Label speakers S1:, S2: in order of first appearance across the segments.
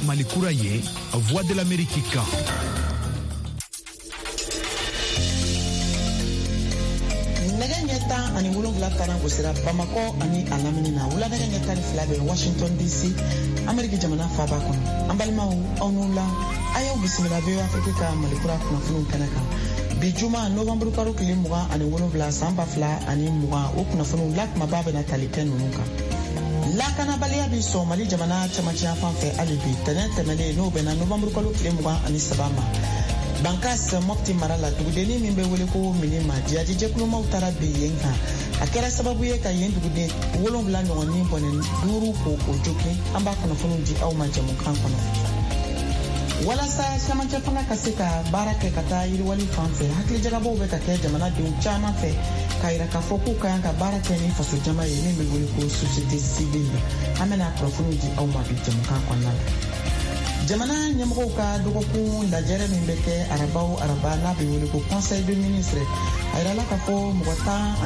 S1: Mali kura ye, Voix de l'Amérique kan.
S2: Nɛgɛ ɲɛ 17 taara gosira Bamakɔ ani a lamini na, wula nɛgɛ ɲɛ 12 bɛ Washington DC, Ameriki jamana faaba kɔnɔ. An balimaw, aw n'u la, a y'aw bisimila VOA Afrique ka Malikura kunnafoniw kɛnɛ kan. Bi juma, novanburu kalo tile 27 san 2020, o kunnafoniw la kumaba bɛna tali kɛ ninnu kan. Lakanabaliya bi sɔn Mali jamana camancɛya fan fɛ hali bi. Tɛnɛn tɛmɛnen, n'o bɛnna novanburu kalo tile 23 ma, Bankas Mɔpti mara la, dugudennin min bɛ wele ko Minima, jihadi jɛkulumaw taara bin yen kan. A kɛra sababu ye ka yen duguden 7 ɲɔgɔn ni bɔnɛ, 5 ko o jogin. An b'a kunnafoniw di aw ma jɛmukan kɔnɔ. Walasa camancɛ fanga ka se ka baara kɛ ka taa yiriwali fan fɛ, hakilijagabɔw bɛ ka kɛ jamanadenw caman fɛ k'a yira k'a fɔ k'u ka kan ka baara kɛ ni fasojama ye min bɛ wele ko société civile. An bɛna kunnafoniw di aw ma bi jɛmukan kɔnɔna la. Jamana ɲɛmɔgɔw ka dɔgɔkun lajɛrɛ min bɛ kɛ araba o araba, n'a bɛ wele ko conseil de ministre, a yirala k'a fɔ mɔgɔ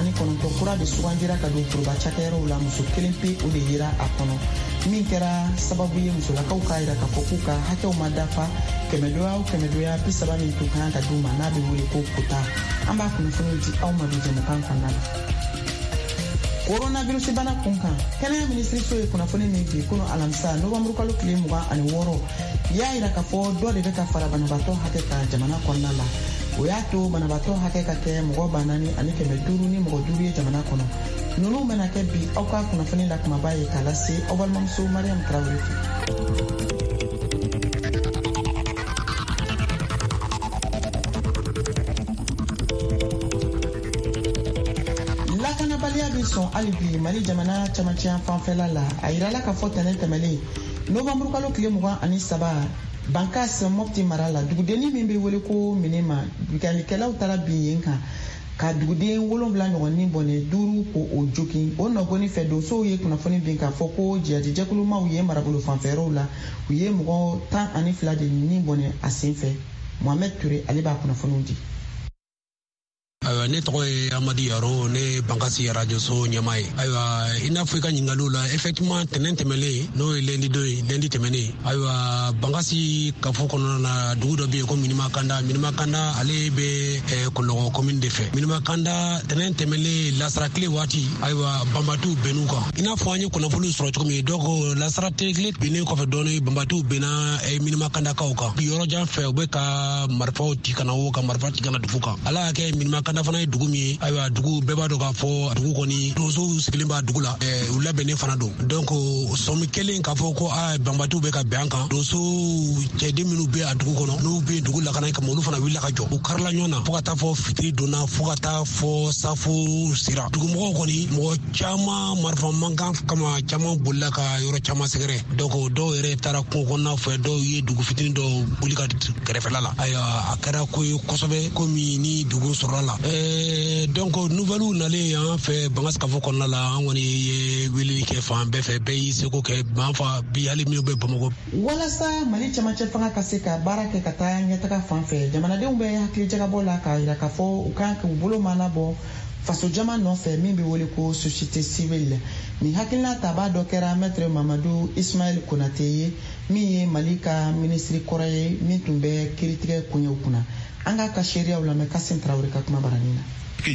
S2: 19 kura de sugandira ka don foroba cakɛyɔrɔw la. Muso kelen pe o de yera a kɔnɔ, min kɛra sababu ye musolakaw k'a yira k'a fɔ k'u ka hakɛw ma dafa kɛmɛdoya o kɛmɛdoya 30 min tun kan ka d'u ma, n'a bɛ wele ko quota. An b'a kunnafoniw di aw ma bi jɛmukan kɔnɔna la. Coronavirus bana kun kan, kɛnɛya minisiriso ye kunnafoni min bi kunu alamisa, novanburu kalo tile 26, y'a yira k'a fɔ dɔ de bɛ ka fara banabaatɔ hakɛ kan jamana kɔnɔna la. O y'a to banabaatɔ hakɛ ka kɛ mɔgɔ 4505 ni mɔgɔ 5 ye jamana kɔnɔ. Ninnu bɛna kɛ bi aw ka kunnafoni la kumaba ye k'a lase aw balimamuso Mariam Tarawele fɛ. Lakanabaliya bɛ sɔn hali bi Mali jamana camancɛya fanfɛla la. A yirala k'a fɔ tɛnɛn tɛmɛlen, novanburu kalo tile 23, Bankas Mɔpti mara la, dugudennin min bɛ wele ko Minima, binkannikɛlaw taara bin yen kan ka duguden 7 ɲɔgɔn ni bɔnɛ, 5 ko o jogin. O nɔgɔni fɛ, donsow ye kunnafoni bin k'a fɔ ko jihadijɛkulumaw ye marabolo fanfɛyɔrɔw la, u ye mɔgɔ 12 de ni bɔnɛ a sen fɛ. Mohamed Touré, ale b'a kunnafoniw di.
S3: Ayiwa, ne tɔgɔ ye Amadu Yaro, ne ye Bankasi arajoso ɲɛmaa ye. Ayiwa, i n'a fɔ i ka ɲininkaliw la, effectivement, tɛnɛn tɛmɛlen, n'o ye lundi don ye, lundi tɛmɛnen, ayiwa, Bankasi kafo kɔnɔna na, dugu dɔ bɛ yen ko Minima Kanda. Minima Kanda, ale bɛ Kɔlɔkɔ commune de fɛ. Minima Kanda, tɛnɛn tɛmɛlen, lasara tile waati, ayiwa, banbatiw bɛnn'u kan, i n'a fɔ an ye kunnafoniw sɔrɔ cogo min. Donc lasara tile binnen kɔfɛ dɔɔni, banbatiw benna Minima Kandakaw kan yɔrɔ jan fɛ. U bɛ ka marifaw ci ka na, o ka marifa ci ka na dugu kan. Ala y'a kɛ, Minima Kanda fana ye dugu min ye, ayiwa, dugu bɛɛ b'a dɔn k'a fɔ dugu kɔni, donsow sigilen b'a dugu la, u labɛnnen fana don. Donc sɔmi kelen k'a fɔ ko a banbatiw bɛ ka bɛn an kan, donso cɛden minnu bɛ a dugu kɔnɔ, n'u bɛ dugu lakana kama, olu fana wulila ka jɔ. U karila ɲɔgɔn na fo ka taa fɔ fitiri donna, fo ka taa fɔ safo sera. Dugumɔgɔw kɔni, mɔgɔ caman, marifa mankan kama, caman bolila ka yɔrɔ caman sɛgɛrɛ. Donc dɔw yɛrɛ taara kungo kɔnɔna fɛ, dɔw ye dugu fitinin dɔw boli ka kɛrɛfɛla la. Ayiwa, a kɛra ko ye kosɛbɛ, komi ni dugu sɔrɔla la. Donc nouvelles nalen an fɛ Bankasi kafo kɔnɔna la, an kɔni ye weleli kɛ fan bɛɛ fɛ, bɛɛ y'i seko kɛ. Ban fa bi, hali minnu bɛ Bamakɔ.
S2: Walasa Mali camancɛ fanga ka se ka baara kɛ ka taa ɲɛtaga fan fɛ, jamanadenw bɛ hakilijagabɔ la k'a yira k'a fɔ u kan k'u bolo mana bɔ fasojama nɔfɛ min bɛ wele ko société civile. Nin hakilina tabaa dɔ kɛra maître Mamadu Ismaël Konate ye, min ye Mali ka minisiri kɔrɔ ye min tun bɛ kiiritigɛ koɲɛw kunna. An k'a ka seereyaw lamɛn Kasim Tarawele ka kuma baranin na.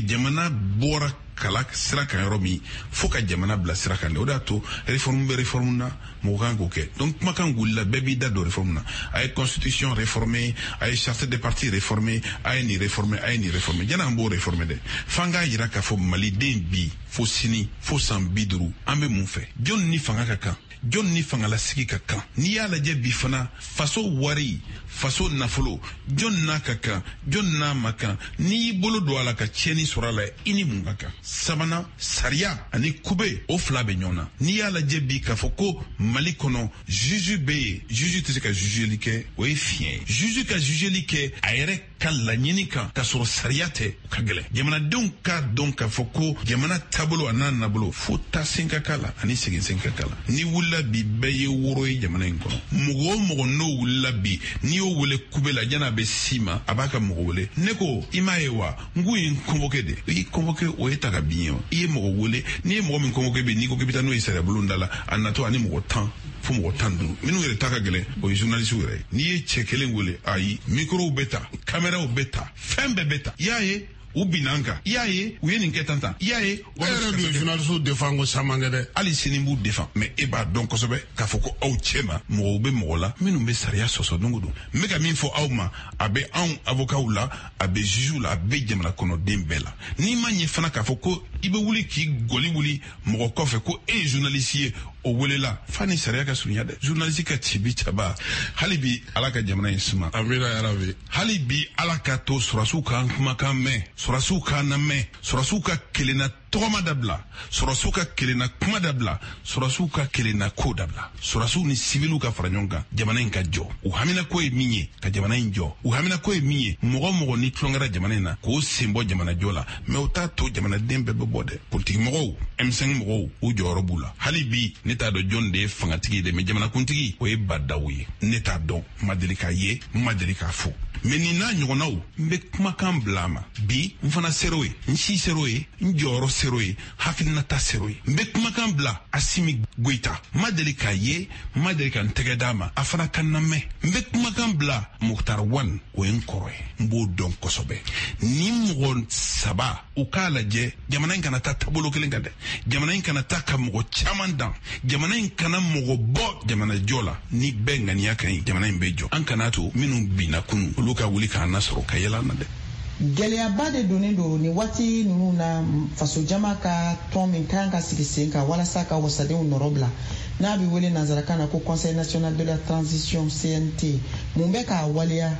S4: Jamana bɔra kala sira kan yɔrɔ min, fo ka jamana bila sira kan de. O de y'a to réforme bɛ réforme na, mɔgɔ kan k'o kɛ. Donc kumakan wulila, bɛɛ b'i da don réforme na. A ye constitution réformer, a ye charte des partis réformer, a ye nin réformer, a ye nin réformer. Janni an b'o réformer dɛ, f'an k'a yira k'a fɔ maliden bi fo sini fo san 50, an bɛ mun fɛ? Jɔn ni fanga ka kan? Jɔn ni fangalasigi ka kan? N'i y'a lajɛ bi fana, faso wari, faso nafolo, jɔn n'a ka kan, jɔn n'a ma kan? N'i y'i bolo don a la ka tiɲɛni sɔrɔ a la, i ni mun ka kan? Sabanan, sariya ani kube, o fila bɛ ɲɔgɔn na. N'i y'a lajɛ bi k'a fɔ ko Mali kɔnɔ juge bɛ yen, juge tɛ se ka jugeli kɛ, o ye fiɲɛ ye. Juge ka jugeli kɛ a yɛrɛ ka laɲini kan k'a sɔrɔ sariya tɛ, o ka gɛlɛn. Jamanadenw k'a dɔn k'a fɔ ko jamana taabolo a n'a nabolo, fo taa sen ka k'a la ani segin sen ka k'a la. N'i wulila bi, bɛɛ ye woro ye jamana in kɔnɔ. Mɔgɔ o mɔgɔ n'o wulila bi, n'i y'o wele kube la, jan'a bɛ s'i ma, a b'a ka mɔgɔ wele. Ne ko i m'a ye wa, n k'u ye n convoqué de. I convoqué, o ye ta ka ka bin ye. I ye mɔgɔ wele, n'i ye mɔgɔ min convoqué bi, n'i ko k'i bɛ taa n'o ye sariya bulon da la, a natɔ ani mɔgɔ 10 fo mɔgɔ 15, minnu yɛrɛ ta ka gɛlɛn, o ye journaliste yɛrɛ ye. N'i ye cɛ kelen wele, ayi, microw bɛ ta, caméraw bɛ ta, fɛn bɛɛ bɛ ta. I y'a ye u binna an kan, i y'a ye u ye nin kɛ tan tan, i y'a ye.
S5: E yɛrɛ dun ye journaliste défend ko caman kɛ dɛ.
S4: Hali sini n b'u défend, mais e b'a dɔn kosɛbɛ k'a fɔ ko aw cɛ ma mɔgɔw bɛ mɔgɔ la minnu bɛ sariya sɔsɔ don o don. N bɛ ka min fɔ aw ma, a bɛ anw avocats la, a bɛ juges la, a bɛ jamana kɔnɔden bɛɛ la. N'i ma ɲɛ fana k'a fɔ ko i bɛ wuli k'i gɔli wuli mɔgɔ kɔfɛ ko e ye journaliste ye, o welela fa ni sariya ka surunya dɛ. Journaliste ka cibi caba, hali bi Ala ka jamana in suma.
S5: Amina yarabi.
S4: Hali bi Ala ka to sɔrɔsiw k'an kumakan mɛn, sɔrɔsiw k'an lamɛn, sɔrɔsiw ka kelenna tɔgɔma dabila, sɔrɔsiw ka kelenna kuma dabila, sɔrɔsiw ka kelenna ko dabila, sɔrɔsiw ni sibiliw ka fara ɲɔgɔn kan, jamana in ka jɔ. U haminako ye min ye, ka jamana in jɔ. U haminako ye min ye, mɔgɔ mɔgɔ ni tulon kɛra jamana in na, k'o sen bɔ jamana jɔ la. Mais o t'a to jamanaden bɛɛ bɛ bɔ dɛ. Politiki mɔgɔw, M5 mɔgɔw, u jɔyɔrɔ b'u la. Hali bi ne t'a dɔn jɔn de ye fangatigi ye dɛ, mais jamanakuntigi o ye Badaw ye. Ne t'a dɔn, n ma deli k'a ye, n ma deli k'a fɔ. Mais nin n'a ɲɔgɔnnaw, n bɛ kumakan bila a ma bi. N fana ser'o ye, n si ser'o ye, n jɔyɔrɔ ser'o ye, hakilinata ser'o ye. N bɛ kumakan bila Asimi Goyita, n ma deli k'a ye, n ma deli ka n tɛgɛ d'a ma, a fana ka n lamɛn. N bɛ kumakan bila Moctar Ouane, o ye n kɔrɔ ye, n b'o dɔn kosɛbɛ. Ni mɔgɔ saba, u k'a lajɛ, jamana in kana taa taabolo kelen kan dɛ, jamana in kana taa ka mɔgɔ caman dan, jamana in kana mɔgɔ bɔ jamana jɔ la. Ni bɛɛ ŋaniya ka ɲi, jamana in bɛ jɔ. An kana to minnu binna kunun, olu ka wuli k'an nasɔrɔ ka yɛlɛ an na dɛ.
S2: Gɛlɛyaba de donnen don nin waati ninnu na fasojama ka tɔn min kan ka sigi sen kan walasa ka wasadenw nɔrɔ bila, n'a bɛ wele nanzarakan na ko Conseil national de la transition, CNT. Mun bɛ k'a waleya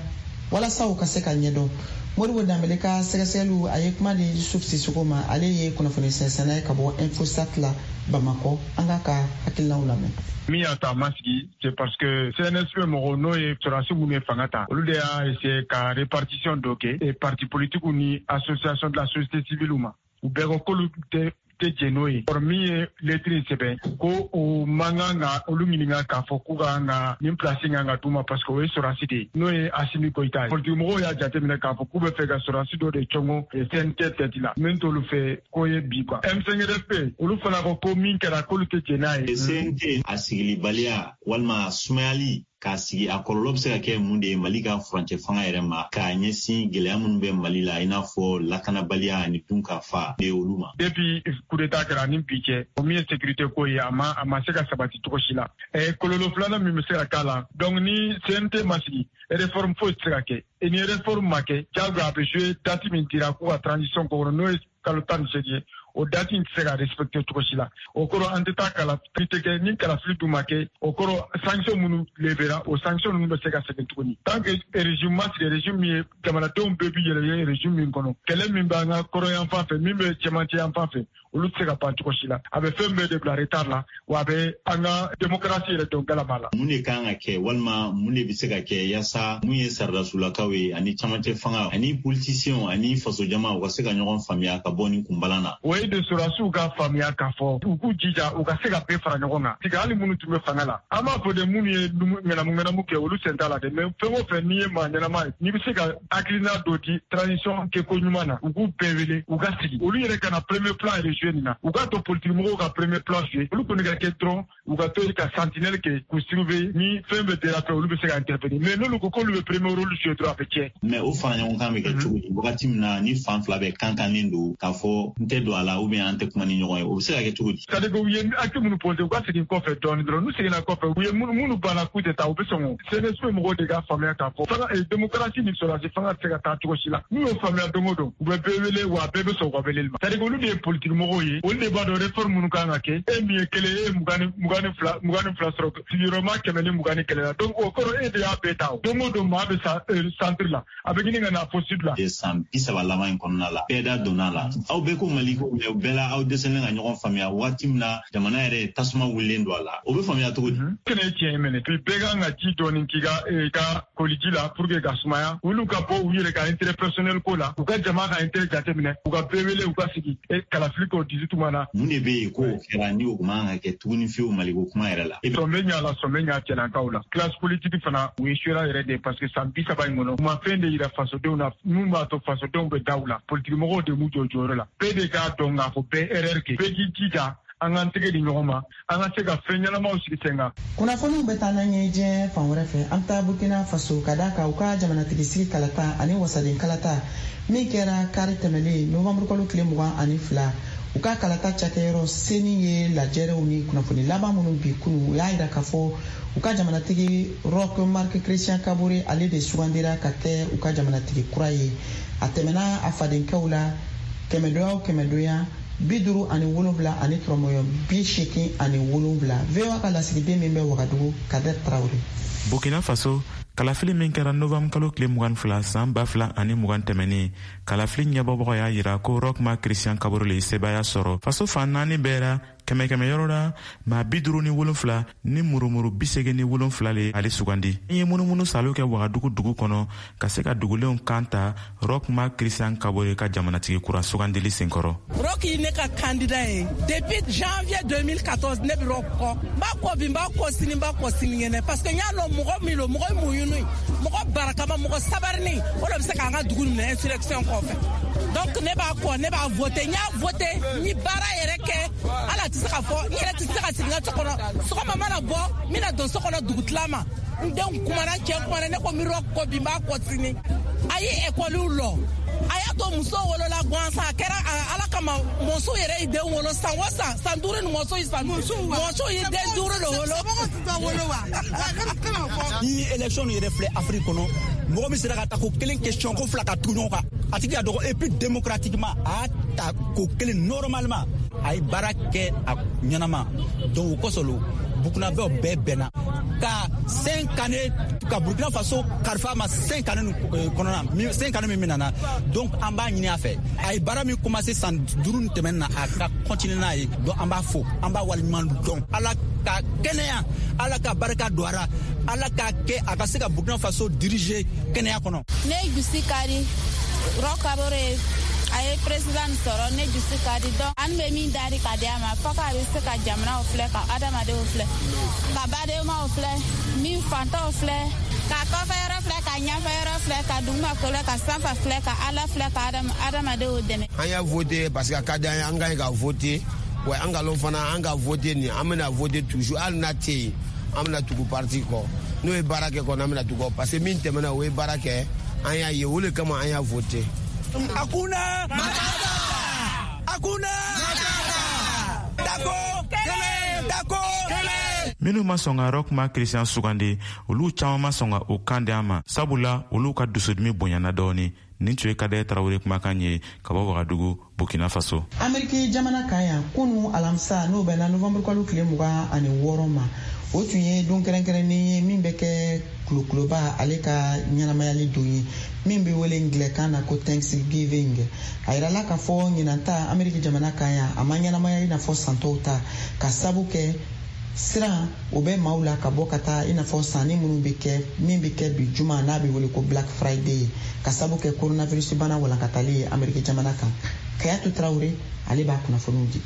S2: walasa u ka se ka ɲɛdɔn? Modibo Danbele ka sɛgɛsɛgɛliw, a ye kuma di Yusuf Sisoko ma, ale ye kunnafoni sɛnsɛnna ye ka bɔ Infosat la Bamakɔ. An k'a ka hakilinaw lamɛn.
S6: Min y'a to a ma sigi, c'est parce que CNSP mɔgɔw, n'o ye sɔrɔdasi minnu ye fanga ta, olu de y'a essayer ka répartition dɔ kɛ et parti politique ni association de la société civile ma, u bɛɛ ko k'olu tɛ jɛn n'o ye. Kɔrɔ min ye lettre in sɛbɛn ko o man kan ka olu ɲininka k'a fɔ k'u kan ka nin place kan ka d'u ma, parce que o ye sɔrɔdasi de ye, n'o ye Asimi Goyita ye. Politique mɔgɔw y'a jateminɛ k'a fɔ k'u bɛ fɛ ka sɔrɔdasi dɔ de cɔngɔ CNT tête la, min t'olu fɛ ko ye bi quoi. M5RFP, olu fana ko ko min kɛra, k'olu tɛ jɛn n'a ye.
S7: CNT a sigilibaliya walima sumayali k'a sigi, a kɔlɔlɔ bɛ se ka kɛ mun de ye Mali ka furancɛ fanga yɛrɛ ma, k'a ɲɛsin gɛlɛya minnu bɛ Mali la, i n'a fɔ lakanabaliya ani dunkafa de olu ma?
S6: Depuis coup d'état kɛra ni bi cɛ, o min ye sécurité ko ye, a ma se ka sabati cogo si la. Kɔlɔlɔ filanan min bɛ se ka k'a la, donc ni CNT ma sigi, réforme foyi tɛ se ka kɛ. Et ni réforme ma kɛ, diyagoya a bɛ jouer date min dira k'u ka transition ko kɔnɔ, n'o ye kalo 18 ye, o date in tɛ se ka respecter cogo si la. O kɔrɔ, an tɛ taa kalafili tɛ kɛ. Ni kalafili dun ma kɛ, o kɔrɔ sanction minnu levera, o sanction ninnu bɛ se ka segin tuguni. Tant que régime ma sigi, régime min ye jamanadenw bɛɛ bi yɛrɛ ye régime min kɔnɔ, kɛlɛ min b'an ka kɔrɔ yan fan fɛ, min bɛ cɛmancɛ yan fan fɛ, olu tɛ se ka ban cogo si la. A bɛ fɛn bɛɛ de bila retard la, wa a bɛ an ka démocratie yɛrɛ don galama la.
S7: Mun de kan ka kɛ walima mun de bɛ se ka kɛ yaasa mun ye saradasulakaw ye ani camancɛ fanga ani politiciens ani fasojama, u ka se ka ɲɔgɔn faamuya ka bɔ nin kunbalan na?
S6: O ye de sɔrɔdasiw ka faamuya k'a fɔ u k'u jija u ka se ka bɛɛ fara ɲɔgɔn kan tigɛ, hali minnu tun bɛ fanga la. An b'a fɔ de, minnu ye ŋanamu ŋanamu kɛ, olu sen t'a la dɛ, mais fɛn o fɛn n'i ye maa ɲɛnama ye, n'i bɛ se ka hakilina dɔ di transition kɛko ɲuman na, u k'u bɛɛ wele, u ka sigi. Olu yɛrɛ ka na premier plan yɛrɛ jouer nin na, u k'a to politique mɔgɔw ka premier plan jouer. Olu kɔni ka kɛ dɔrɔn u ka to ka sentinelle kɛ k'u surveiller, ni fɛn bɛ déraper, olu bɛ se ka intervenir, mais n'olu ko k'olu bɛ premier rôle jouer dɔrɔn, a bɛ tiɲɛ.
S7: Mais o fara ɲɔgɔn kan bɛ kɛ cogo di wagati min na ni fan fila bɛɛ kan kannen don k'a fɔ n tɛ don a la ou bien an tɛ kuma ni ɲɔgɔn ye? O bɛ se ka kɛ cogo di?
S6: C'est à dire que u ye acte minnu posé, u ka segin kɔfɛ dɔɔni dɔrɔn. N'u seginna kɔfɛ, u ye minnu banna k'u tɛ taa, u bɛ sɔn. O CNSP mɔgɔw de ka faamuya k'a fɔ fanga démocratie ni sɔrɔdasi fanga tɛ se ka taa cogo si la. N'u y'o faamuya don o don, u bɛ bɛɛ wele, wa bɛɛ bɛ sɔn u ka weleli ma. C'est à dire que olu de ye politique mɔgɔw ye, olu de b'a dɔn réforme minnu kan ka kɛ. E min ye kelen, e ye 22 sɔrɔ sigiyɔrɔma 121 la, donc o kɔrɔ e de y'a bɛɛ ta. O don o don, maa bɛ sa centre la, a bɛ ɲini ka na fo sud la.
S7: San 30 laban in kɔnɔna la, bɛɛ da donna la, aw bɛɛ ko Mali ko, mais bɛɛ la aw dɛsɛlen ka ɲɔgɔn faamuya waati min na jamana yɛrɛ tasuma wulilen don a la, o bɛ faamuya cogo di?
S6: Kɛnɛ ye tiɲɛ ye minɛ, puis bɛɛ kan ka ji dɔɔni k'i ka i ka koliji la pour que ka sumaya. Olu ka bɔ u yɛrɛ ka intérêt personnel ko la, u ka jama ka intérêt jateminɛ, u ka bɛɛ wele, u ka sigi kalafili k'o 18 mois na.
S7: Mun de bɛ yen k'o kɛra ni o man kan ka kɛ tuguni fiyewu Maliko kuma yɛrɛ la?
S6: Sɔn bɛ ɲa la, sɔn bɛ ɲa cɛlankaw la. Classe politique fana, u ye suera yɛrɛ de, parce que san 30 in kɔnɔ, u ma fɛn de yira fasodenw na min b'a to fasodenw bɛ da u la. Politique mɔgɔw de m'u jɔ jɔyɔrɔ la. Bɛɛ de k'a dɔn. dɔn k'a fɔ bɛɛ erreur kɛ. Bɛɛ k'i jija, an k'an tɛgɛ di ɲɔgɔn ma, an ka se ka fɛn ɲɛnamaw sigi sen kan.
S2: Kunnafoniw bɛ taa n'an ye diɲɛ fan wɛrɛ fɛ. An bɛ taa Burkina Faso, ka d'a kan u ka jamanatigi sigi kalata ani wasaden kalata min kɛra kari tɛmɛlen, novanburu kalo tile 22, u ka kalata cakɛyɔrɔ CENI ye lajɛrɛw ni kunnafoni laban minnu bi kunu, u y'a yira k'a fɔ u ka jamanatigi Roch Marc Christian Kabore, ale de sugandira ka kɛ u ka jamanatigi kura ye. A tɛmɛna a fadenkɛw la kɛmɛdoya o kɛmɛdoya 57 ani tɔrɔmɔyɔ 87. VOA ka lasigiden min bɛ Wagadugu, Kader Tarawele.
S8: Burkina Faso, kalafili min kɛra novembre kalo tile 22 san 2020 tɛmɛnen, kalafili ɲɛbɔbagaw y'a yira ko Roch Marc Christian Kabore le ye sebaaya sɔrɔ faso fan naani bɛɛ ra. Kɛmɛ kɛmɛ yɔrɔ la, maa 57 ni murumuru 87 le ale sugandi. N ye munumunu salo kɛ Wagadugu dugu kɔnɔ ka se ka dugulenw kan ta Roch Marc Christian Kabore ka jamanatigi kura sugandili senkɔrɔ.
S9: Roch ye ne ka candidat ye depuis janvier 2014. Ne bɛ Roch kɔ, n b'a kɔ bi, n b'a kɔ sini, n b'a kɔ sinikɛnɛ, parce que n y'a lɔn mɔgɔ min lo, mɔgɔ muɲuni, mɔgɔ barakama, mɔgɔ sabarini, o de bɛ se k'an ka dugu minɛ insurrection kɔfɛ. Donc ne b'a kɔ, ne b'a voté, n y'a voté, n ye baara yɛrɛ kɛ. Ala tɛ se ka fɔ, n yɛrɛ tɛ se ka sigi n ka so kɔnɔ. Sɔgɔma mana bɔ, n bɛna don so kɔnɔ dugutila ma. N denw kumana, n cɛ kumana, ne ko n bɛ Roch kɔ bi, n b'a kɔ sini. A ye ekɔliw lɔ, a y'a to muso wolola gansan, a kɛra ala kama. Muso yɛrɛ ye den wolo san o san, san duuru ni muso ye san, muso ye den duuru de wolo.
S10: Ni élection yɛrɛ filɛ Afrique kɔnɔ, mɔgɔ min sera ka ta ko kelen question ko fila ka tugu ɲɔgɔn kan, a tigi ka dɔgɔ. Et puis démocratiquement, a y'a ta ko kelen normalement, a ye baara kɛ a ɲɛnama. Donc o kosɔn lo Burkinabɛw bɛɛ bɛnna ka 5 années ka Burkina Faso kalifa ma, 5 années kɔnɔna, 5 années min nana. Donc an b'a ɲini a fɛ, a ye baara min commencé san 5 ni tɛmɛnen na, a ka continuer n'a ye. Donc an b'a fo, an b'a waleɲuman dɔn. Ala ka kɛnɛya, Ala ka barika don a ra, Ala k'a kɛ a ka se ka Burkina Faso diriger kɛnɛya kɔnɔ.
S11: Ne dusu ka di. Roch Kabore a ye président sɔrɔ, ne dusu ka di. Donc an bɛ min dari ka di a ma, fɔ k'a bɛ se ka jamanaw filɛ, ka adamadenw filɛ, ka badenmaw filɛ, min fantanw filɛ, ka kɔfɛ yɔrɔ filɛ, ka ɲɛfɛ yɔrɔ filɛ, ka dugumakolo, ka sanfɛ filɛ, ka Ala filɛ, ka adamadenw dɛmɛ.
S12: An y'a voté parce que a ka di an ye, an ka ɲi ka voté. Wa an ka lɔn fana, an ka voté nin, an bɛna voté toujours. Hali n'a tɛ yen, an bɛna tugu parti kɔ. N'o ye baara kɛ kɔni, an bɛna tugu kɔ, parce que min tɛmɛna, o ye baara kɛ, an y'a ye, o de kama an y'a voté.
S10: Hakuna Matata! Hakuna Matata! Tako kelen! Tako kelen!
S8: Minnu ma sɔn ka Roch Marc Christian sugandi, olu caaman ma sɔn ka o kan di a ma, sabula olu ka dusudimi bonyana dɔɔni. Nin tun ye Kadɛ Tarawele kumakan ye ka bɔ Wagadugu, Burkina Faso.
S2: Ameriki jamana kan yan, kunu alamisa, n'o bɛnna novanburu kalo tile 26 ma, o tun ye don kɛrɛnkɛrɛnnen ye min bɛ kɛ kulokuloba ale ka ɲɛnamayali don ye, min bɛ wele ngilɛkan na ko Thanksgiving. A yirala k'a fɔ ɲinan ta Ameriki jamana kan yan, a ma ɲɛnamaya i n'a fɔ san tɔw ta, ka sabu kɛ siran o bɛ maaw la ka bɔ ka taa i n'a fɔ sanni minnu bɛ kɛ, min bɛ kɛ bi juma, n'a bɛ wele ko Black Friday, ka sabu kɛ coronavirus bana walankatali ye Ameriki jamana kan. Kayatu Tarawele, ale b'a kunnafoniw di.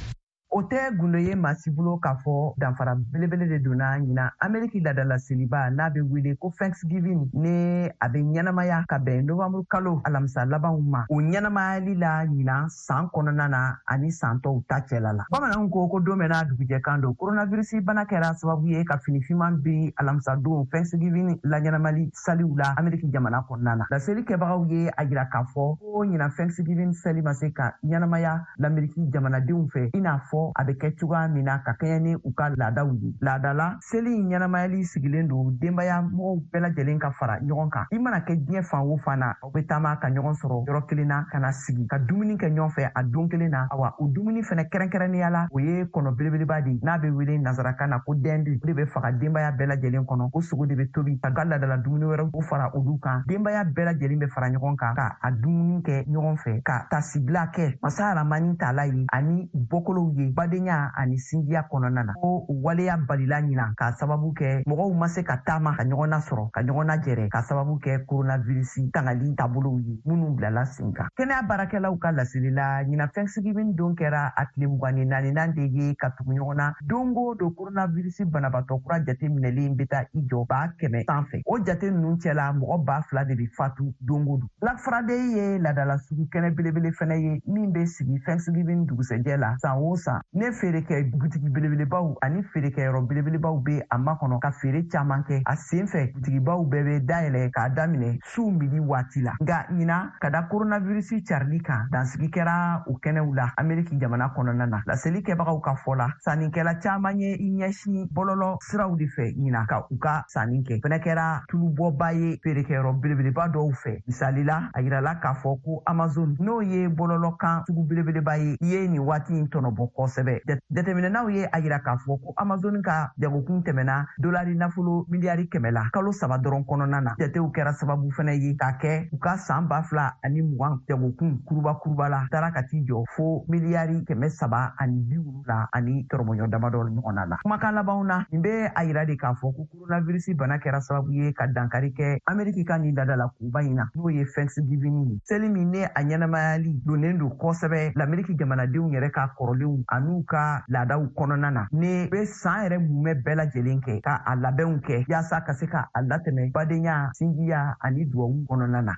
S13: O tɛ gundo ye maa si bolo k'a fɔ danfara belebele de donna ɲina Ameriki ladala seliba n'a bɛ wele ko Thanksgiving, ni a bɛ ɲɛnamaya ka bɛn novanburu kalo alamisa labanw ma, o ɲɛnamayali la ɲina san kɔnɔna na ani san tɔw ta cɛla la. Bamananw ko ko don bɛɛ n'a dugujɛ kan don. Coronavirus bana kɛra sababu ye ka fini finman bin alamisa don Thanksgiving laɲɛnamali saliw la Ameriki jamana kɔnɔna na. Laseli kɛbagaw ye a jira k'a fɔ ko ɲina Thanksgiving sali ma se ka ɲɛnamaya l'Ameriki jamanadenw fɛ i n'a fɔ a bɛ kɛ cogoya min na ka kɛɲɛ ni u ka laadaw ye. Laadala seli in ɲɛnamayali sigilen don denbaya mɔgɔw bɛɛ lajɛlen ka fara ɲɔgɔn kan. I mana kɛ diɲɛ fan o fan na, aw bɛ taama ka ɲɔgɔn sɔrɔ yɔrɔ kelen na, ka na sigi ka dumuni kɛ ɲɔgɔn fɛ a don kelen na. Awa, o dumuni fɛnɛ kɛrɛnkɛrɛnnenya la, o ye kɔnɔ belebeleba de ye n'a bɛ wele nansarakan na ko dinde. O de bɛ faga denbaya bɛɛ lajɛlen kɔnɔ. O sogo de bɛ tobi ka laadala dumuni wɛrɛw o fara olu kan. Denbaya bɛɛ lajɛlen bɛ fara ɲɔgɔn kan ka a dumuni kɛ ɲɔgɔn fɛ, ka tasibila kɛ masa Aramani tala ye ani bɔkolow ye. badenya ani sinjiya kɔnɔna na. Ko waleya balila ɲinan k'a sababu kɛ mɔgɔw ma se ka taama ka ɲɔgɔn nasɔrɔ, ka ɲɔgɔn najɛrɛ, k'a sababu kɛ coronavirus tangali taabolow ye minnu bilala sen kan. Kɛnɛya baarakɛlaw ka laseli la, ɲinan Thanksgiving don kɛra a tile 24nan de ye ka tugu ɲɔgɔn na. Don o don coronavirus banabaatɔ kura jate minɛlen bɛ taa i jɔ 100,000 sanfɛ. O jate ninnu cɛla, mɔgɔ 2,000 de bɛ fatu don o don. Black Friday ye laadala sugu kɛnɛ belebele fɛnɛ ye min bɛ sigi Thanksgiving dugusɛjɛ la san o san. Ne feerekɛ butigi belebelebaw ani feerekɛyɔrɔ belebelebaw bɛ a makɔnɔ ka feere caman kɛ. A sen fɛ, butigibaw bɛɛ bɛ dayɛlɛ k'a daminɛ su midi waati la. Nka ɲinan, ka da coronavirus carili kan, dansigi kɛra o kɛnɛw la Ameriki jamana kɔnɔna na. Laseli kɛbagaw ka fɔ la, sannikɛla caman ye i ɲɛsin bɔlɔlɔ siraw de fɛ ɲinan ka u ka sanni kɛ. Fɛnɛ kɛra tulubɔba ye feerekɛyɔrɔ belebeleba dɔw fɛ. Misali la, a yirala k'a fɔ ko Amazon, n'o ye bɔlɔlɔ kan sugu belebeleba ye, i ye nin waati in tɔnɔbɔ kosɛbɛ. Jateminɛnaw ye a yira k'a fɔ ko Amazon ka jagokun tɛmɛna dolari nafolo miliyari 100 la kalo 3 dɔrɔn kɔnɔna na. Jatew kɛra sababu fɛnɛ ye k'a kɛ u ka san 2020 jagokun kuruba kuruba la taara ka t'i jɔ fo miliyari 370 ani tɔrɔmɔɲɔ damadɔ ɲɔgɔnna la. Kumakan labanw na, nin bɛ a yira de k'a fɔ ko coronavirus bana kɛra sababu ye ka dankari kɛ Ameriki ka nin laadala koba in na, n'o ye Thanksgiving ye. Seli min ne a ɲɛnamayali donnen don kosɛbɛ l'Ameriki jamanadenw yɛrɛ ka kɔrɔlenw an'u ka laadaw kɔnɔna na. Ne bɛ san yɛrɛ mumɛ bɛɛ lajɛlen kɛ ka a labɛnw kɛ yaasa ka se ka a latɛmɛ badenya, sinjiya ani duwawu kɔnɔna na.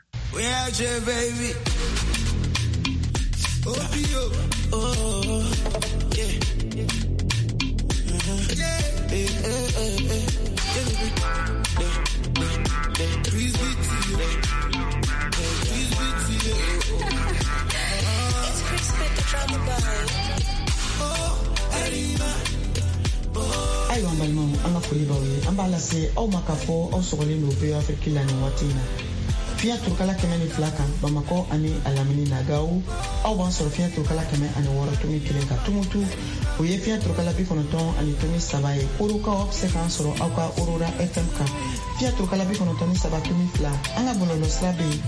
S2: Ayiwa, an balimaw, an ka foli b'aw ye. An b'a lase aw ma k'a fɔ aw sɔgɔlen don VOA Afrique la nin waati in na, fiɲɛ turukala 102 kan Bamakɔ ani a lamini na. Gawo, aw b'an sɔrɔ fiɲɛ turukala 106.1 kan. Tumutu, o ye fiɲɛ turukala 90.3 ye. Korokaw, aw bɛ se k'an sɔrɔ aw ka Aurora FM kan, fiɲɛ turukala 93.2. An ka bɔlɔlɔ sira bɛ yen,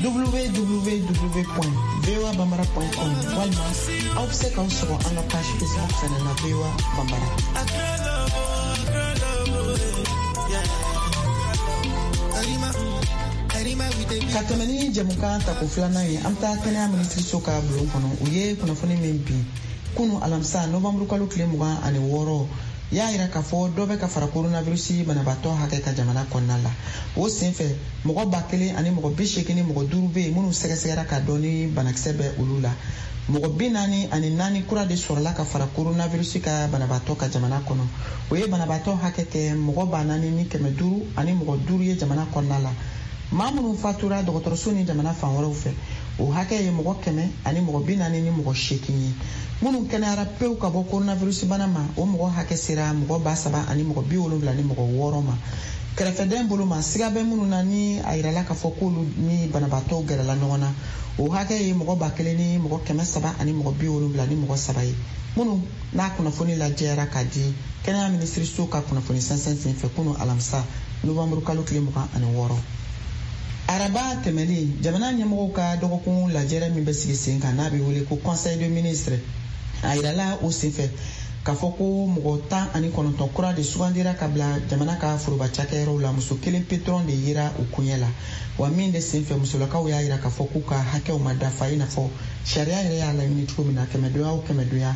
S2: www.voabambara.com, walima aw bɛ se k'aw sɔgɔ an ka page Facebook fɛnɛ na, VOA Bambara. Ka tɛmɛ ni jɛmukan tako filanan ye, an bɛ taa kɛnɛya minisiriso ka bulon kɔnɔ. U ye kunnafoni min bin kunu alamisa novanburu kalo tile 26 y'a yira k'a fɔ dɔ bɛ ka fara coronavirus banabaatɔ hakɛ ka jamana kɔnɔna la. O senfɛ, mɔgɔ 1085 bɛ yen minnu sɛgɛsɛgɛra k'a dɔn ni banakisɛ bɛ olu la. Mɔgɔ 44 kura de sɔrɔla ka fara coronavirus ka banabaatɔ ka jamana kɔnɔ. O ye banabaatɔ hakɛ kɛ mɔgɔ 4505 ye jamana kɔnɔna la. Maa minnu fatura dɔgɔtɔrɔso ni jamana fan wɛrɛw fɛ, o hakɛ ye mɔgɔ 148 ye. Minnu kɛnɛyara pewu ka bɔ coronavirus bana ma, o mɔgɔ hakɛ sera mɔgɔ 3076 ma. Kɛrɛfɛdɛn bolo ma, siga bɛ minnu na ni a yirala k'a fɔ k'olu ni banabaatɔw gɛrɛla ɲɔgɔn na, o hakɛ ye mɔgɔ 1373 ye, minnu n'a kunnafoni lajɛyara k'a di kɛnɛya minisiriso ka kunnafoni sɛnsɛn senfɛ kunu alamisa novanburu kalo tile 26. Araba tɛmɛnen, jamana ɲɛmɔgɔw ka dɔgɔkun lajɛrɛ min bɛ sigi sen kan, n'a bɛ wele ko conseil de ministre, a yirala o senfɛ k'a fɔ ko mɔgɔ 19 kura de sugandira ka bila jamana ka foroba cakɛyɔrɔw la. Muso kelen pe dɔrɔn de yera o koɲɛ la. Wa min de senfɛ, musolakaw y'a yira k'a fɔ k'u ka hakɛw ma dafa i n'a fɔ sariya yɛrɛ y'a laɲini cogo min na, kɛmɛdonya o kɛmɛdonya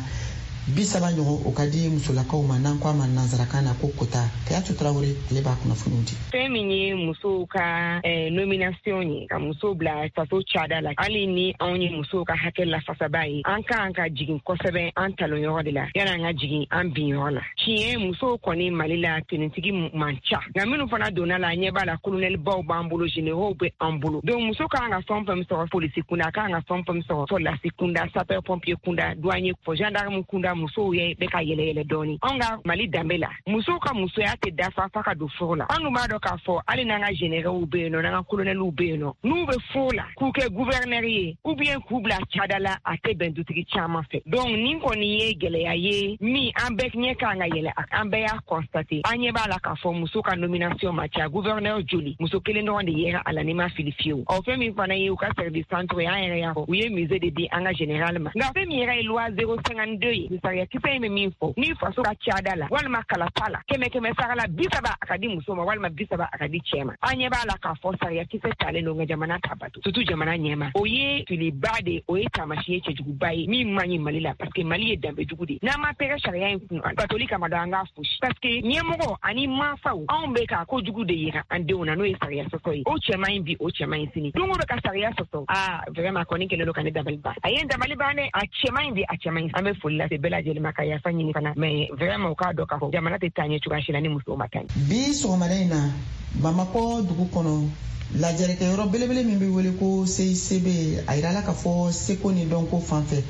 S2: 30 ɲɔgɔn o ka di musolakaw ma, n'an ko a ma nansarakan na ko quota. Kayatu Tarawele, ale b'a kunnafoniw di.
S14: Fɛn min ye musow ka nomination ye, ka musow bila faso cada la, hali ni anw ye musow ka hakɛ lafasaba ye, an kan ka jigin kosɛbɛ an talonyɔrɔ de la yanni an ka jigin an binyɔrɔ la. Tiɲɛ, musow kɔni Mali la tenitigi man ca, nka minnu fana donna la, ɲɛ b'a la, kolonɛlibaw b'an bolo, généraux bɛ an bolo. Donc muso kan ka fɛn fɛn sɔrɔ polisi kunda, a kan ka fɛn fɛn sɔrɔ sɔrɔdasi kunda, sapeur pompier kunda, douanier, fɔ gendarme kunda, musow ye bɛ ka yɛlɛ yɛlɛ dɔɔni. Anw ka Mali danbe la, musow ka musoya tɛ dafa f'a ka don furu la. An dun b'a dɔn k'a fɔ hali n'an ka généraux bɛ yen nɔ, n'an ka colonɛliw bɛ yen nɔ, n'u bɛ furu la k'u kɛ gouverneur ye ou bien k'u bila cada la, a tɛ bɛn dutigi caman fɛ. Donc nin kɔni ye gɛlɛya ye min an bɛɛ ɲɛ kan ka yɛlɛ, an bɛɛ y'a constater. An ɲɛ b'a la k'a fɔ muso ka nomination ma ca. Gouverneur joli, muso kelen dɔrɔn de yera a la, n'i ma fili fiyewu. Ɔ fɛn min fana ye u ka service centre ye, an yɛrɛ y'a fɔ, u ye musée de di an ka général ma. Nka fɛn min yɛrɛ ye loi 052 ye, Sariya kisɛ in bɛ min fɔ, ni faso ka cada la walima kalata la, 100 sara la, 30 a ka di muso ma walima 30 a ka di cɛ ma. An ɲɛ b'a la k'a fɔ sariya kisɛ talen don, nka jamana t'a bato, surtout jamana ɲɛma. O ye filiba de, o ye taamasiyɛn cɛjuguba ye min man ɲi Mali la, parce que Mali ye danbejugu de ye. N'an ma tɛgɛ sariya in kun batoli kama dɔn, an k'a fosi, parce que ɲɛmɔgɔ ani mansaw, anw bɛ ka kojugu de yira an denw na, n'o ye sariya sɔsɔ ye. O cɛ man ɲi bi, o cɛ man ɲi sini. Don o don ka sariya sɔsɔ, aa vraiment, kɔni kɛlen don ka ne dabali ban. A ye n dabali ban dɛ. A cɛ man ɲi bi, a cɛ man ɲi. An bɛ foli lase bɛɛ lajɛlen ma, ka yafa ɲini fana, mais vraiment, u k'a dɔn k'a fɔ jamana tɛ taa ɲɛ cogoya si la ni musow ma taa ɲɛ.
S2: Bi sɔgɔmada in na, Bamakɔ dugu kɔnɔ, lajɛrɛkɛyɔrɔ belebele min bɛ wele ko CICB, a yirala k'a fɔ seko ni dɔnko fan fɛ,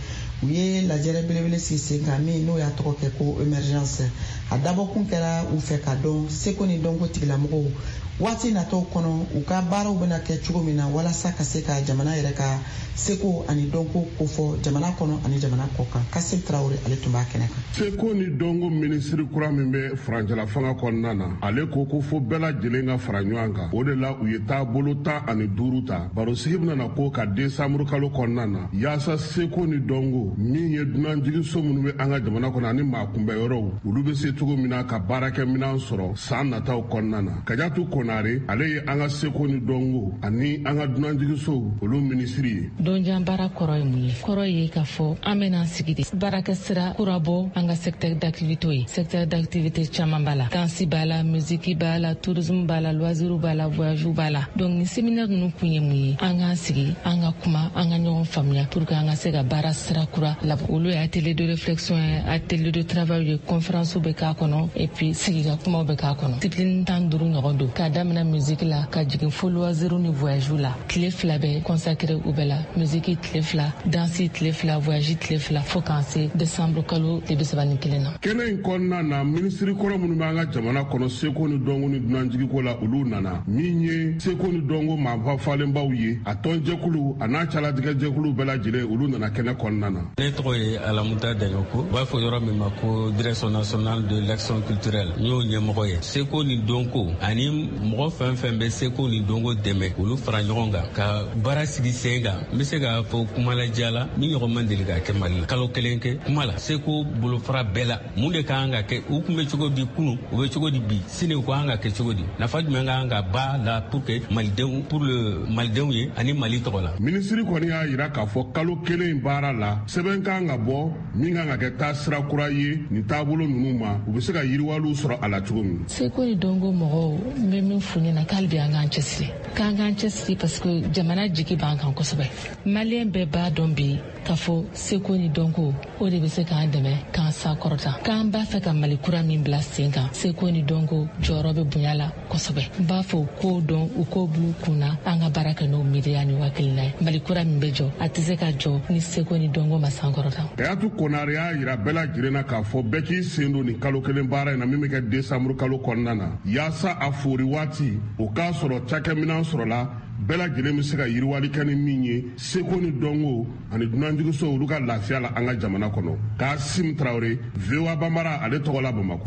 S2: u ye lajɛrɛ belebele sigi sen kan min n'o y'a tɔgɔ kɛ ko émergence. A dabɔkun kɛra u fɛ ka dɔn seko ni dɔnko tigilamɔgɔw waati natɔw kɔnɔ, u ka baaraw bɛna kɛ cogo min na, walasa ka se ka jamana yɛrɛ ka seko ani dɔnko kofɔ jamana kɔnɔ ani jamana kɔ kan. Kasim Tarawele, ale tun b'a kɛnɛ kan.
S5: Seko ni dɔnko minisiri kura min bɛ furancɛla fanga kɔnɔna na, ale ko ko fo bɛɛ lajɛlen ka fara ɲɔgɔn kan. O de la, u ye taabolo 15 ta. Barosigi bɛna na ko ka desanburu kalo kɔnɔna na, yaasa seko ni dɔnko min ye dunanjiginso minnu bɛ an ka jamana kɔnɔ ani maa kunbɛyɔrɔw, olu bɛ se cogo min na ka baarakɛminɛn sɔrɔ san nataw kɔnɔna na. Kajatu Konare, ale ye an ka seko ni dɔnko ani an ka dunanjiginsow olu minisiri ye.
S15: Donjan baara kɔrɔ ye mun ye? Kɔrɔ ye k'a fɔ an bɛna sigi de baarakɛ sira kura bɔ an ka secteur d'activité ye. Secteur d'activité caman b'a la: danse b'a la, musique b'a la, tourisme b'a la, loisir b'a la, voyage b'a la. Donc ni séminaire ninnu kun ye mun ye? An k'an sigi, an ka kuma, an ka ɲɔgɔn faamuya pour que an ka se ka baara sira kura labɔ. Olu ye atelier de réflexion ye, atelier de travail ye, conférence bɛ k'a kɔnɔ, et puis sigi ka kumaw bɛ k'a kɔnɔ. Discipline 15 ɲɔgɔn don, k'a daminɛ musique la ka jigin fo loisir ni voyage la. Tile 2 bɛ consacré u bɛɛ la: musique tile 2, danse tile 2, voyage tile 2, fo k'an se décembre kalo tile 31 na.
S5: Kɛnɛ in kɔnɔna na, minisiri kɔrɔ minnu bɛ an ka jamana kɔnɔ seko ni dɔnko ni dunanjigiko la, olu nana. Min ye seko ni dɔnko maafa falenbaw ye, a tɔnjɛkulu a n'a calatigɛjɛkulu bɛɛ lajɛlen, olu nana kɛnɛ kɔnɔna na.
S16: Ne tɔgɔ ye Alamuta Daɲɔko. U b'a fɔ yɔrɔ min ma ko Direction nationale de l'action culturelle, n y'o ɲɛmɔgɔ ye. Seko ni dɔnko ani mɔgɔ fɛn fɛn bɛ seko ni dɔnko dɛmɛ, olu fara ɲɔgɔn kan ka baara sigi sen kan. N bɛ se k'a fɔ kumalaja la, min ɲɔgɔn man deli ka kɛ Mali la. Kalo kelen kɛ kuma la seko bolofara bɛɛ la, mun de ka kan ka kɛ, u tun bɛ cogo di kunu, u bɛ cogo di bi, sini u ka kan ka kɛ cogo di, nafa jumɛn ka kan ka ba la pour que malidenw, pour le malidenw ye ani Mali tɔgɔ la.
S5: Minisiri kɔni y'a yira k'a fɔ kalo kelen baara la, sɛbɛn kan ka bɔ min kan ka kɛ taasira kura ye nin taabolo ninnu ma, u bɛ se ka yiriwaliw sɔrɔ a la cogo min.
S15: Seko ni dɔnko mɔgɔw, n bɛ min f'u ɲɛna, k'ale bi an k'an cɛsiri, k'an k'an cɛsiri, parce que jamana jigi b'an kan kosɛbɛ. Maliyɛn bɛɛ b'a dɔn bi k'a fɔ seko ni dɔnko, o de bɛ se k'an dɛmɛ k'an sankɔrɔta. K'an b'a fɛ ka Mali kura min bila sen kan, seko ni dɔnko jɔyɔrɔ bɛ bonya la kosɛbɛ. N b'a fɔ u k'o dɔn, u k'o bila u kun na, an ka baara kɛ n'o miiriya ni hakilina ye. Mali kura min bɛ jɔ, a tɛ se ka jɔ ni seko ni dɔnko ma sankɔrɔta.
S5: Kayatu Konare y'a yira bɛɛ lajɛlen na k'a fɔ bɛɛ k'i sen don nin kalo kelen baara in na min bɛ kɛ desanburu kalo kɔnɔna na, yaasa a fori waati o k'a sɔrɔ cakɛminɛn sɔrɔla, bɛɛ lajɛlen bɛ se ka yiriwali kɛ ni min ye seko ni dɔnko ani dunanjiginso olu ka lafiya la an ka jamana kɔnɔ. Kasim Tarawele, VOA Banbara, ale tɔgɔ la, Bamakɔ.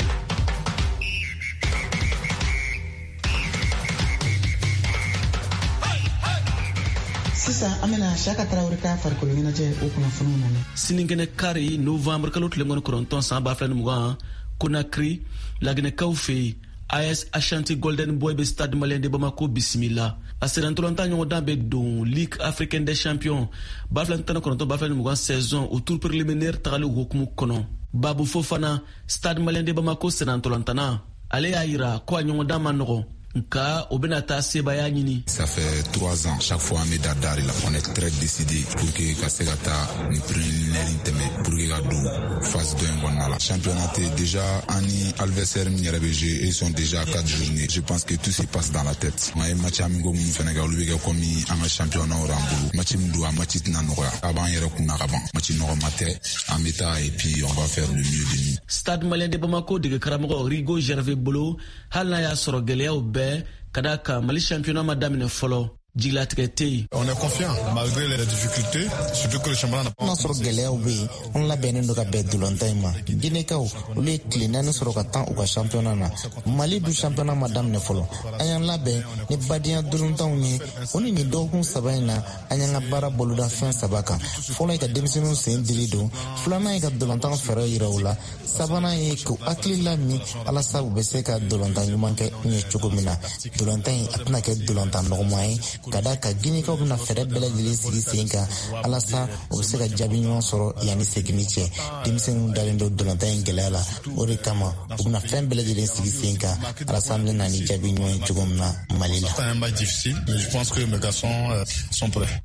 S2: Sisan an bɛna Siyaka Tarawele ka farikolo ɲɛnajɛ o kunnafoniw lamɛn.
S17: Sinikɛnɛ kari, novembre kalo tile 29 san 2020, Konakiri, Laginɛkaw fɛ yen, AS Ashanti Golden Boy bɛ Stade Malien de Bamako bisimila. A sennantolatan ɲɔgɔndan bɛ don Ligue africaine des champions 2019 2020 saison, o tour préliminaire tagali hukumu kɔnɔ. Babu Fofana, Stade Malien de Bamako sennantolantana, ale y'a yira ko a ɲɔgɔndan ma nɔgɔn, nka o bɛna taa sebaaya ɲini.
S18: Ça fait 3 ans, chaque fois an bɛ da dari la. On est très décidé pour que ka se ka taa ni préliminaire tɛmɛ pour que ka don phase dɔ in kɔnɔna la. Championnat tɛ déjà, an ni adversaire min yɛrɛ bɛ jouer, ils sont déjà à quatre journées. Je pense que tout se passe dans la tête. An ye match amicaux minnu fɛnɛ kɛ, olu bɛ kɛ comme an ka championnat y'an bolo. Match min don, a match tɛna nɔgɔya. A b'an yɛrɛ kunna ka ban. Match nɔgɔma tɛ, an bɛ taa et puis on va faire le mieux de nous.
S17: Stade Malien de Bamako dege karamɔgɔ Rigo Gervais bolo, hali n'a y'a sɔrɔ gɛlɛyaw bɛɛ ka da kan, Mali championnat ma daminɛ fɔlɔ. Jigilatigɛ tɛ yen.
S19: On est confiant malgré les difficultés, surtout que le championnat n'a pas.
S20: N'a sɔrɔ gɛlɛyaw bɛ yen, an labɛnnen don ka bɛn dolantan in ma. Ginekaw, olu ye tile 4 sɔrɔ ka tan u ka championnat na. Mali dun championnat ma daminɛ fɔlɔ. An y'an labɛn ni badenya dolantanw ye. O ni nin dɔgɔkun 3 in na, an y'an ka baara boloda fɛn 3 kan. Fɔlɔ ye ka denmisɛnninw sen dili don, filanan ye ka dolantan fɛɛrɛ yira u la, sabanan ye k'u hakili lamin walasa u bɛ se ka dolantan ɲuman kɛ ɲɛ cogo min na. Dolantan in a tɛna kɛ dolantan nɔgɔman ye, ka da kan Ginekaw bɛna fɛɛrɛ bɛɛ lajɛlen sigi sen kan walasa u bɛ se ka jaabi ɲuman sɔrɔ yanni seginni cɛ. Denmisɛnninw dalen don dolantan in gɛlɛya la, o de kama u bɛna fɛn bɛɛ lajɛlen sigi sen kan walasa an bɛna na ni jaabi ɲuman ye cogo min na Mali la.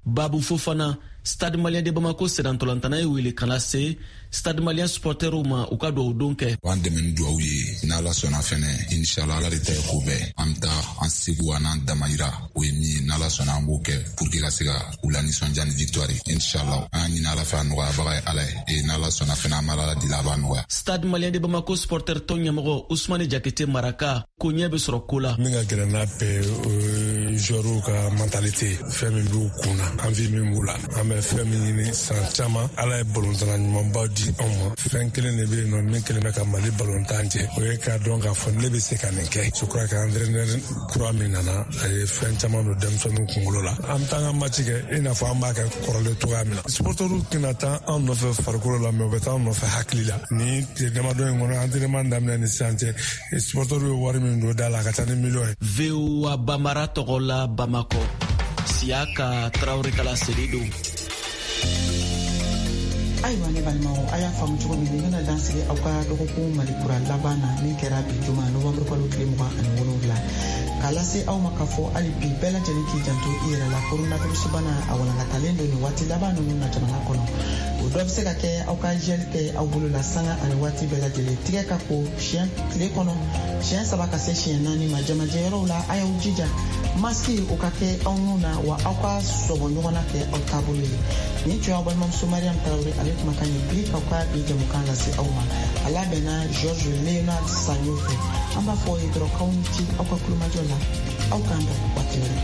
S17: Babu Fofana, Stade Malien de Bamako sennantolatan ye wele ka lase Stade Malien supporteriw ma u ka duwawu don kɛ.
S18: An dɛmɛ ni duwawu ye, n'Ala sɔnna fɛnɛ, inshallah Ala de ta ye ko bɛɛ. An bɛ taa an seko an'an damayira, o ye min ye, n'Ala sɔnna an b'o kɛ pour que ka se ka u lanisɔndiya ni victoire ye, inshallah. An y'a ɲini Ala fɛ, a nɔgɔyabaga ye Ala ye, et n'Ala sɔnna fɛnɛ an bɛ Ala deli a b'a nɔgɔya.
S17: Stade Malien de Bamako supporter tɔn ɲɛmɔgɔ Ousmane Jakite Maraka ko ɲɛ bɛ sɔrɔ ko la.
S21: Min ka gɛlɛn n'a bɛɛ ye, joueurs ka mentalité, fɛn min b'u kun na, envie min b'u la. An bɛ fɛn min ɲini san caman, Ala ye balontanna ɲumanba di anw ma. Fɛn kelen de bɛ yen nɔ min kelen bɛ ka Mali balontan jɛ, o ye k'a dɔn k'a fɔ ne bɛ se ka nin kɛ. Je crois que entraîneur kura min nana, a ye fɛn caman don denmisɛnninw kunkolo la. An bɛ taa an ka match kɛ i n'a fɔ an b'a kɛ kɔrɔlen cogoya min na. Supporters tɛna taa an nɔfɛ farikolo la, mais u bɛ taa an nɔfɛ hakili la. Nin tile damadɔ in kɔnɔ, entraînement daminɛ ni sisan cɛ, supporters ye wari min don da la, a ka ca ni miliyɔn ye.
S17: VOA Bambara tɔgɔ la Bamakɔ, Siyaka Tarawele kala seli don.
S2: Ayiwa ne balimaw, a y'a faamu cogo min, nin bɛna dan sigi aw ka dɔgɔkun Mali kura laban na min kɛra bi juma novembre kalo tile 27, k'a lase aw ma k'a fɔ hali bi bɛɛ lajɛlen k'i janto i yɛrɛ la. Coronavirus bana a walankatalen don nin waati laban ninnu na jamana kɔnɔ. O dɔ bɛ se ka kɛ aw ka gel kɛ aw bolo la sanga ani waati bɛɛ lajɛlen, tigɛ ka ko siɲɛ tile kɔnɔ siɲɛ 3 ka se siɲɛ 4 ma. Jamajɛyɔrɔw la, a y'aw jija masiki o ka kɛ aw nun na, wa aw ka sɔbɔ ɲɔgɔn na kɛ aw taabolo ye. Nin tun y'aw balimamuso Mariam Tarawele ale kumakan ye bi k'aw ka bi jamukan lase aw ma. A labɛnna Georges Léonard Sagno fɛ. An b'a fɔ aw ye dɔrɔn k'aw ni ce aw ka kulomajɔ la. Aw k'an bɛn waati wɛrɛ.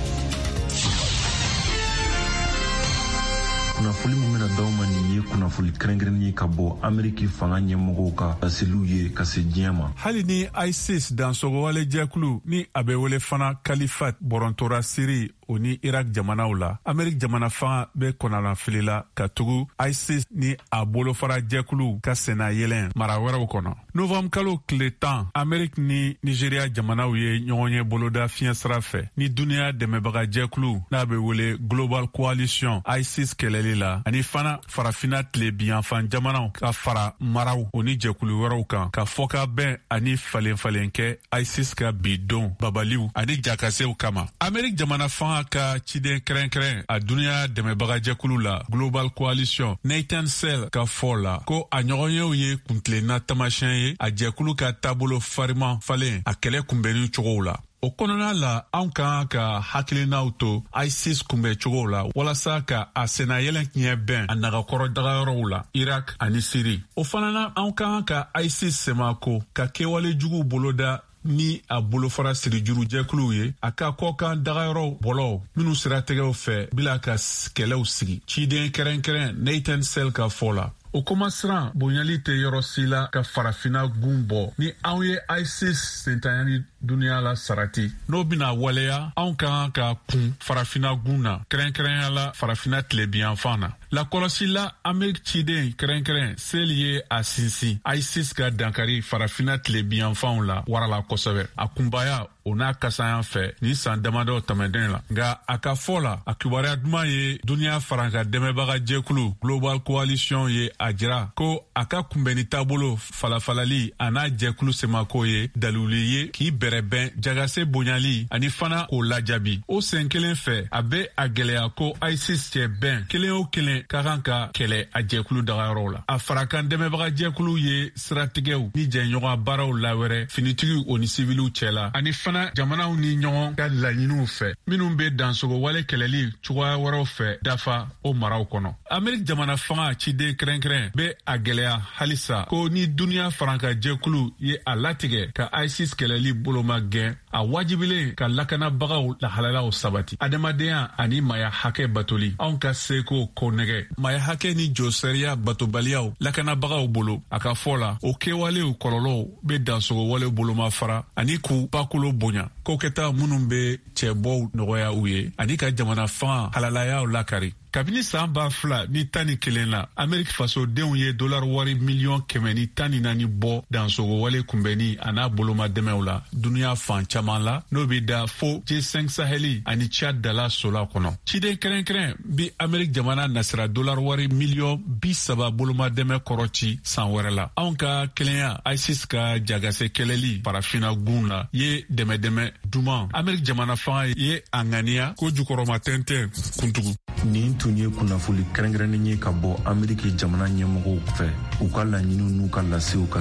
S22: Kunnafoli min bɛna d'aw ma nin ye kunnafoli kɛrɛnkɛrɛnnen ye ka bɔ Ameriki fanga ɲɛmɔgɔw ka laseliw ye ka se diɲɛ ma.
S23: Hali ni ISIS dansɔgɔwale jɛkulu ni a bɛ wele fana Kalifat bɔrɔntora Siri o ni Irak jamanaw la, Ameriki jamana fanga bɛ kɔnɔnafili la ka tugu ISIS ni a bolofara jɛkuluw ka senna yɛlɛn mara wɛrɛw kɔnɔ. Novembre kalo tile 10, Ameriki ni Nigeria jamanaw ye ɲɔgɔn ye boloda fiɲɛ sira fɛ ni duniya dɛmɛbaga jɛkulu n'a bɛ wele Global Coalition ISIS kɛlɛli la, ani fana farafina tile binyanfan jamanaw ka fara maraw o ni jɛkulu wɛrɛw kan ka fɔkabɛn ani falen-falen kɛ ISIS ka bi don babaliw ani jakasew kama. Ameriki jamana fanga ka ciden kɛrɛnkɛrɛn a duniya dɛmɛbaga jɛkulu la Global Coalition Nathan Sell ka fɔ la ko a ɲɔgɔnyew ye kuntilenna taamasiyɛn ye a jɛkulu ka taabolo fariman falen a kɛlɛ kunbɛnni cogow la. O kɔnɔna la, anw ka kan ka hakilinaw to ISIS kunbɛn cogow la walasa ka a sennayɛlɛn tiɲɛ bɛn a nagakɔrɔ dagayɔrɔw la Irak ani Siri. O fana na, anw ka kan ka ISIS semako ka kɛwale juguw boloda ni a bolofara sirijuru jɛkuluw ye a ka kɔkan dagayɔrɔw bɔlɔw minw siratigɛw fɛ bila ka kɛlɛw sigi. Ciden kɛrɛnkɛrɛn Nathan Sell ka fɔ la, o kɔmasiran bonyali tɛ yɔrɔ si la ka farafina gun bɔ ni anw ye ISIS sentanyani duniya la sarati. N'o bɛna waleya, anw ka kan ka kun farafina gun na, kɛrɛnkɛrɛnya la farafina tilebiyanfan na. Lakɔlɔsila Ameriki ciden kɛrɛnkɛrɛn Sell ye a sinsin ISIS ka dankari farafina tilebiyanfanw la warala kosɛbɛ, a kunbaya o n'a kasaya fɛ nin san damadɔ tɛmɛnen la. Nka a ka fɔ la, a kibaruya duman ye duniya faranka dɛmɛbaga jɛkulu Global Coalition ye a jira ko a ka kunbɛnni taabolo falafalali a n'a jɛkulu semako ye daluli ye k'i bɛrɛbɛn jagase bonyali ani fana k'o lajaabi. O sen kelen fɛ, a bɛ a gɛlɛya ko ISIS cɛ bɛn kelen o kelen ka kan ka kɛlɛ a jɛkulu dagayɔrɔw la. A farakan dɛmɛbaga jɛkulu ye siratigɛw ni jɛɲɔgɔn baaraw lawɛrɛ finitigiw o ni siviliw cɛla, ani fana jamanaw ni ɲɔgɔn ka laɲiniw fɛ minnu bɛ dansogo wale kɛlɛli cogoya wɛrɛw fɛ dafa o maraw kɔnɔ. Ameriki jamana fanga ciden kɛrɛnkɛrɛn bɛ a gɛlɛya halisa ko ni duniya faranka jɛkulu ye a latigɛ ka ISIS kɛlɛli boloma gɛn. A wajibilen ka lakanabagaw lahalalaw sabati, adamadenya ani maya hakɛ batoli, anw ka seko konnɛgɛ, maya hakɛ ni josariya batobaliyaw lakanabagaw bolo. A ka fɔ la, o kɛwalew kɔlɔlɔw be dansogowalew bolomafara ani k'u bakolo bonya, kokɛta minnu be cɛbɔw nɔgɔya u ye ani ka jamana fanga halalayaw lakari. Kabini saan 2011 la, Ameriki fasodenw ye dolari wari miliyɔn 114 bɔ dansogowale kunbɛnni a n'a bolomadɛmɛw la duniɲa fan caman la, n'o be da fo G5 Saheli ani Chad dala sola kɔnɔ. Ciden kɛrɛnkɛrɛn bi Ameriki jamana nasira dolari wari miliyɔn 30 bolomadɛmɛ kɔrɔ ci san wɛrɛ la. Anw ka kelenya ISIS ka jagase kɛlɛli farafina gun la ye dɛmɛdɛmɛ duman. Ameriki jamana fanga ye a ŋaniya ko jukɔrɔma tɛntɛn kuntugu.
S22: Nin tun ye kunnafoli kɛrɛnkɛrɛnnen ye ka bɔ Ameriki jamana ɲɛmɔgɔw fɛ, u ka laɲiniw n'u ka lasew ka.